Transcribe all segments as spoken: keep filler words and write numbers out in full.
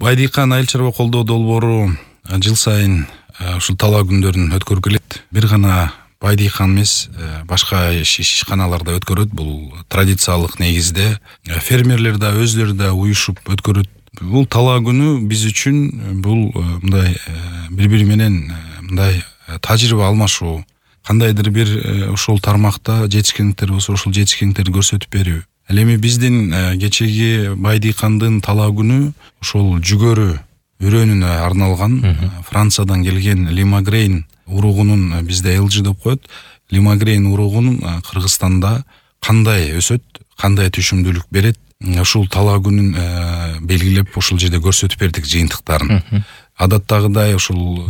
Байдыйкан айыл чарба колдоо долбоору жыл сайын ушул талаа күндөрүн өткөрүп келет. Бир гана Байдыйкан эмес, башка ишканаларда өткөрөт. Бул традициялык негизде фермерлер да өзлөрү да уюшуп өткөрөт. Бул талаа күнү биз үчүн бул мындай бири-бири менен мындай тажрыйба алмашуу, кандайдыр бир ошол тармакта жетишкендиктер болсо ошол жетишкендиктерди көрсөтүп берүү. Ал эми биздин кечеги Байдыйкандын талаа күнү ошол жүгөрү өрөөнүнө арналган. Франциядан келген лимагрейн уругунун, бизде эл жи деп коет, лимагрейн уругун Кыргызстанда кандай өсөт, кандай түшүмдүүлүк берет, ушул талаа күнүн белгилеп ошол жерде көрсөтүп бердик жыйынтыктарын. Адаттагыдай ушул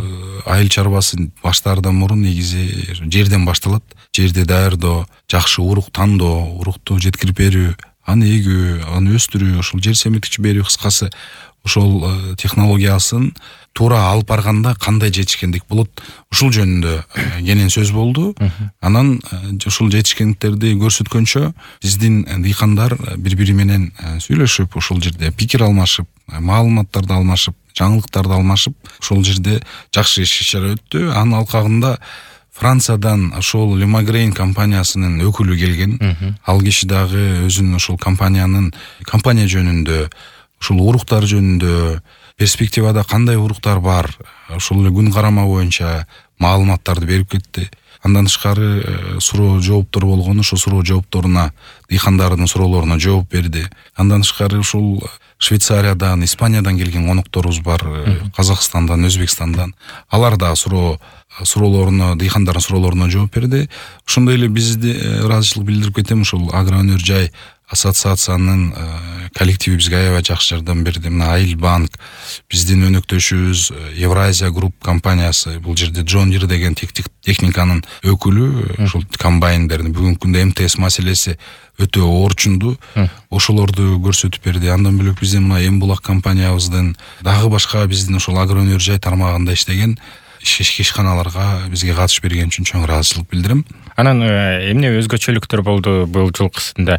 айыл чарбасы баштаардан мурун негизи жерден башталат. Жерди даярдоо, жакшы урук тандоо, урукту жеткирип берүү, аны эгүү, аны өстүрүү, ошол жер семиртүүчү берүү, кыскасы ошол технологиясын туура алып барганда кандай жетишкендик болот, ушул жөнүндө кенен сөз болду. Анан ушул жетишкендиктерди көрсөткөнчө биздин дыйкандар бири-бири менен сүйлөшүп, ошол жерде пикир алмашып, маалыматтарды алмашып, жаңылыктарды алмашып, ошол жерде жакшы иш-чара өттү. Анын алкагында Франциядан ошол Лимагрейн компаниясынын өкүлү келген. Ал киши дагы өзүнүн ошол компаниянын компания жөнүндө, ушул уруктар жөнүндө, перспективада кандай уруктар бар, ошол эле күн карама боюнча маалыматтарды берип кетти. Андан тышкары суроо жооптор болгон, ошол суроо жоопторуна, дыйкандардын суроолоруна жооп берди. Андан тышкары ушул Швейцариядан, Испаниядан келген конокторубуз бар, Казакстандан, Өзбекстандан. Алар да суроо суроолоруна, дыйкандардын суроолоруна жооп берди. Ошондой эле бизди ыраазычылык билдирип кетем, ушул Агроөнөр жай ассоциациянын коллективи бизге аябай жакшы жардам берди. Мына Айыл банк, биздин өнөктөшүбүз Евразия групп компаниясы, бул жерде Джон Дир деген техниканын өкүлү, ушул комбайндердин бүгүнкү күндө эм тэ эс маселеси өтө орчунду, ошолорду көрсөтүп берди. Андан бөлөк биздин мына Эмбулак компаниябыздын дагы башка биздин ошол Агроөнөр жай тармагында иштеген ишканаларга бизге катыш берген үчүн чоң ыраазычылык билдирем. Анан эмне өзгөчөлүктөр болду бул жылкысында?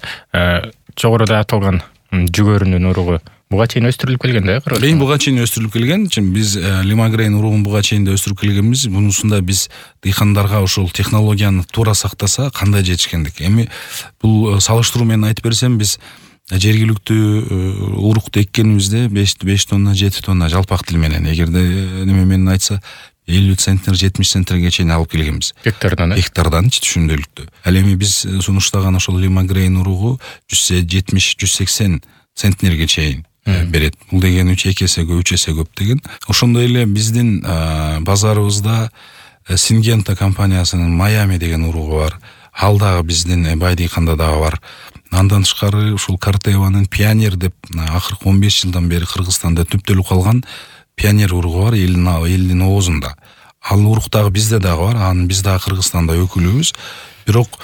Жогоруда аталган жүгөрүнүн уругу буга чейин өстүрүлүп келген да, Кыргызстанда? Эми буга чейин өстүрүлүп келген. Биз Лимагрейн уругун буга чейин да өстүрүп келгенбиз. Мунусунда биз дыйкандарга ошол технологияны туура сактаса кандай жетишкендик. Эми бул салыштыруу менен айтып берсем, биз жергиликтүү урукту эккенибизде беш тонна, жети тонна жалпак тил менен, эгерде неме менен айтса элүү центнер, жетимиш центнерге чейин алып келгенбиз. Гектардан, э? Гектарданчы түшүмдүүлүктү. Ал эми биз сунуштаган ошол Лимагрейн уругу жүз жетимиш жүз сексен центнерге чейин берет. Бул деген үч эсе көп, үч эсе көп деген. Ошондой эле биздин базарыбызда Сингента компаниясынын Майами деген уругу бар. Ал дагы биздин Байдыйканда дагы бар. Андан тышкары ушул Картеванын Пионер деп акыркы он беш жылдан бери Кыргызстанда түптөлүп калган Пионер уругу бар, элдин оозунда. Ал урук дагы бизде дагы бар. Анын биз дагы Кыргызстанда өкүлүбүз. Бирок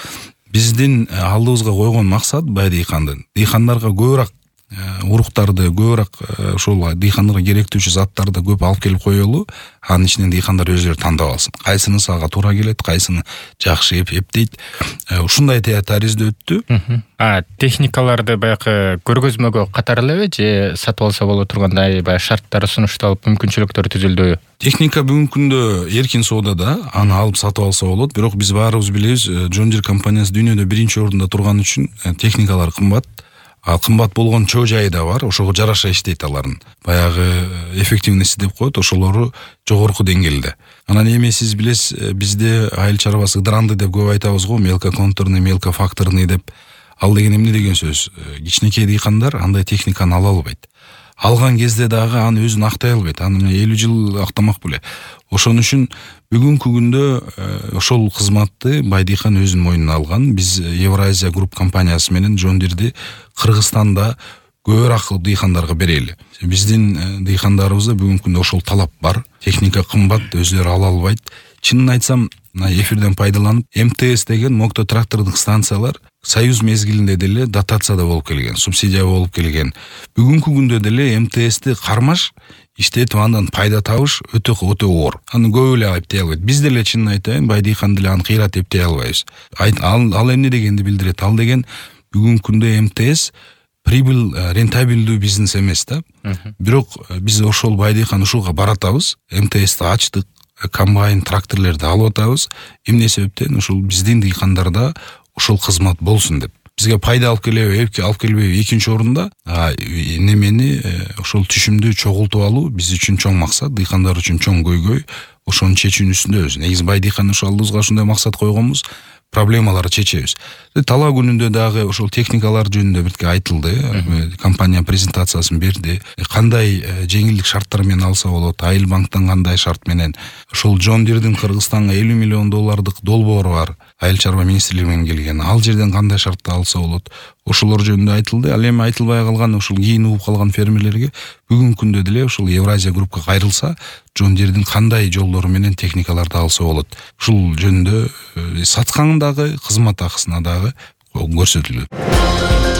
биздин алдыбызга койгон максат Байдыйкандын дыйкандарга көбүрөөк уруктарды, көбүрөөк ошол дыйкандарга керектүүчү заттарды көп алып келип коелу. Анын ичинен дыйкандар өзүлөрү тандап алсын. Кайсыны ага туура келет, кайсыны жакшы эптейт. Ушундай таризде өттү. А техникаларды баягы көргөзмөгө катары элеби же сатып алса боло тургандай баягы шарттары сунушталып, мүмкүнчүлүктөрү түзүлдүбү? Техника бүгүнкү күндө эркин соодада, аны алып сатып алса болот. Бирок биз баарыбыз билебиз, Джон Дир компаниясы дүйнөдө биринчи орунда турган үчүн техникалар кымбат. Ал кымбат болгон чоо жайы да бар, ошого жараша иштейт алардын. Баягы эффективности деп коет, ошолору жогорку деңгээлде. Анан эми сиз билесиз, бизде айыл чарбасы ыдыранды деп көп айтабыз го, мелкоконтурный, мелкофакторный деп. Ал деген эмне деген сөз? Кичинекей дыйкандар андай техниканы ала албайт. Алган кезде дагы аны өзүн актай албайт. Аны элүү жыл актамак беле. Ошон үчүн бүгүнкү күндө ошол кызматты Байдыйкан өзүнүн мойнуна алган. Биз Евразия групп компаниясы менен Джон Дирди Кыргызстанда көбүрөөк дыйкандарга берели. Биздин дыйкандарыбызда бүгүнкү күндө ошол талап бар. Техника кымбат, өзүлөрү ала албайт. Чынын айтсам, эфирден пайдаланып, эм тэ эс деген мокто трактордук станциялар Союз мезгилинде деле дотацияда болуп келген, субсидия болуп келген. Бүгүнкү күндө деле эм тэ эсти кармаш иштетип андан пайда табыш өтө өтө оор. Аны көп эле эптей албайт. Биз деле чынын айтайын, Байдыйкан деле аны кыйрат эптей албайбыз. Ал, ал эмне дегенди билдирет? Ал деген бүгүнкү күндө эм тэ эс прибыль рентабелдүү бизнес эмес да. Бирок биз ошол Байдыйкан ушуга баратабыз. эм тэ эсти ачтык, комбайн, тракторлорду алып атабыз. Эмне себептен ушул биздин дыйкандарда ошол кызмат болсун деп. Бизге пайда алып келеби, алып келбеби экинчи орунда, немени ошол түшүмдү чогултуп алуу биз үчүн чоң максат, дыйкандар үчүн чоң көйгөй. Ошону чечүүнүн үстүндөбүз. Негизи Байдыйкан ушалыбызга ушундай максат койгонбуз. Проблемаларды чечебиз. Талаа күнүндө дагы ошол техникалар жөнүндө бирке айтылды. Компания презентациясын берди. Кандай жеңилдик шарттар менен алса болот, Айыл банктан кандай шарт менен. Ошол Джон Дирдин Кыргызстанга элүү миллион доллардык долбоору бар. Айыл чарба министрлигинен келген. Ал жерден кандай шартты алса болот. Ошолор жөнүндө айтылды. Ал эми айтылбай калган ушул кийин угуп калган фермерлерге бүгүнкү күндө деле ушул Евразия группка кайрылса, Джон Дирдин кандай жолдору менен техникаларды алса болот. Ушул жөнүндө саткандагы кызмат акысына дагы көрсөтүлдү.